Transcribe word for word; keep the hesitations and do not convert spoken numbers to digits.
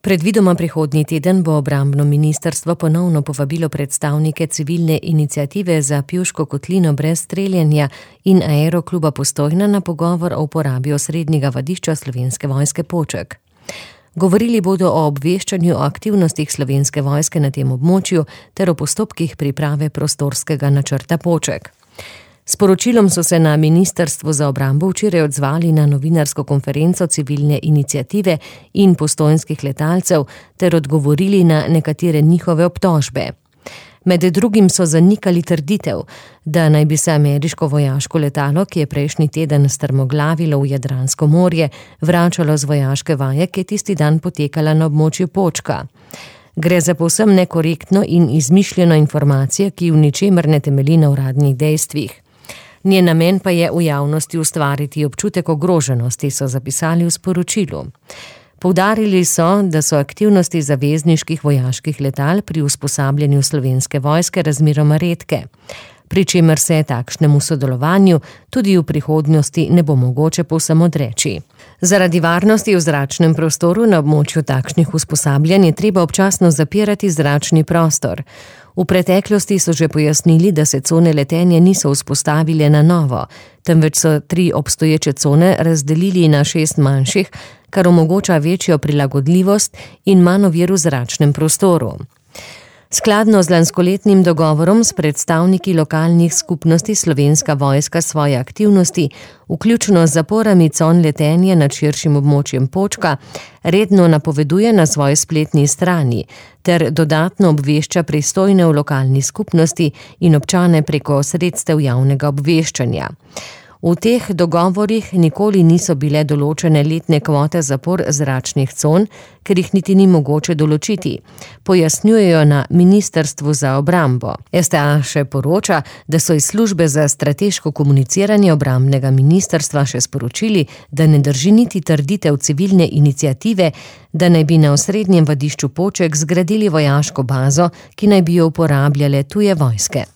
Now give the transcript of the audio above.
Predvidoma prihodnji teden bo obrambno ministrstvo ponovno povabilo predstavnike civilne iniciative za Pivško kotlino brez streljenja in Aerokluba Postojna na pogovor o uporabi osrednjega vadišča Slovenske vojske Poček. Govorili bodo o obveščanju o aktivnostih Slovenske vojske na tem območju ter o postopkih priprave prostorskega načrta Poček. S poročilom so se na Ministrstvu za obrambo včeraj odzvali na novinarsko konferenco civilne iniciative in postojnskih letalcev ter odgovorili na nekatere njihove obtožbe. Med drugim so zanikali trditev, da naj bi se ameriško vojaško letalo, ki je prejšnji teden strmoglavilo v Jadransko morje, vračalo z vojaške vaje, ki je tisti dan potekala na območju Počka. Gre za povsem nekorektno in izmišljeno informacijo, ki v ničemer ne temelji na uradnih dejstvih. Njen namen pa je v javnosti ustvariti občutek ogroženosti, so zapisali v sporočilu. Poudarili so, da so aktivnosti zavezniških vojaških letal pri usposabljanju Slovenske vojske razmeroma redke, pri čemer se takšnemu sodelovanju tudi v prihodnosti ne bo mogoče povsem odreči. Zaradi varnosti v zračnem prostoru na območju takšnih usposabljanj je treba občasno zapirati zračni prostor. V preteklosti so že pojasnili, da se cone letenja niso vzpostavile na novo, temveč so tri obstoječe cone razdelili na šest manjših, kar omogoča večjo prilagodljivost in manj ovir v zračnem prostoru. Skladno z lanskoletnim dogovorom s predstavniki lokalnih skupnosti Slovenska vojska svoje aktivnosti, vključno z zaporami con letenja nad širšim območjem Počka, redno napoveduje na svoji spletni strani ter dodatno obvešča pristojne v lokalni skupnosti in občane preko sredstev javnega obveščanja. V teh dogovorih nikoli niso bile določene letne kvote zapor zračnih con, ker jih niti ni mogoče določiti, pojasnjujejo na Ministrstvu za obrambo. S T A še poroča, da so iz službe za strateško komuniciranje obrambnega ministrstva še sporočili, da ne drži niti trditev civilne iniciative, da naj bi na osrednjem vadišču Poček zgradili vojaško bazo, ki naj bi jo uporabljale tuje vojske.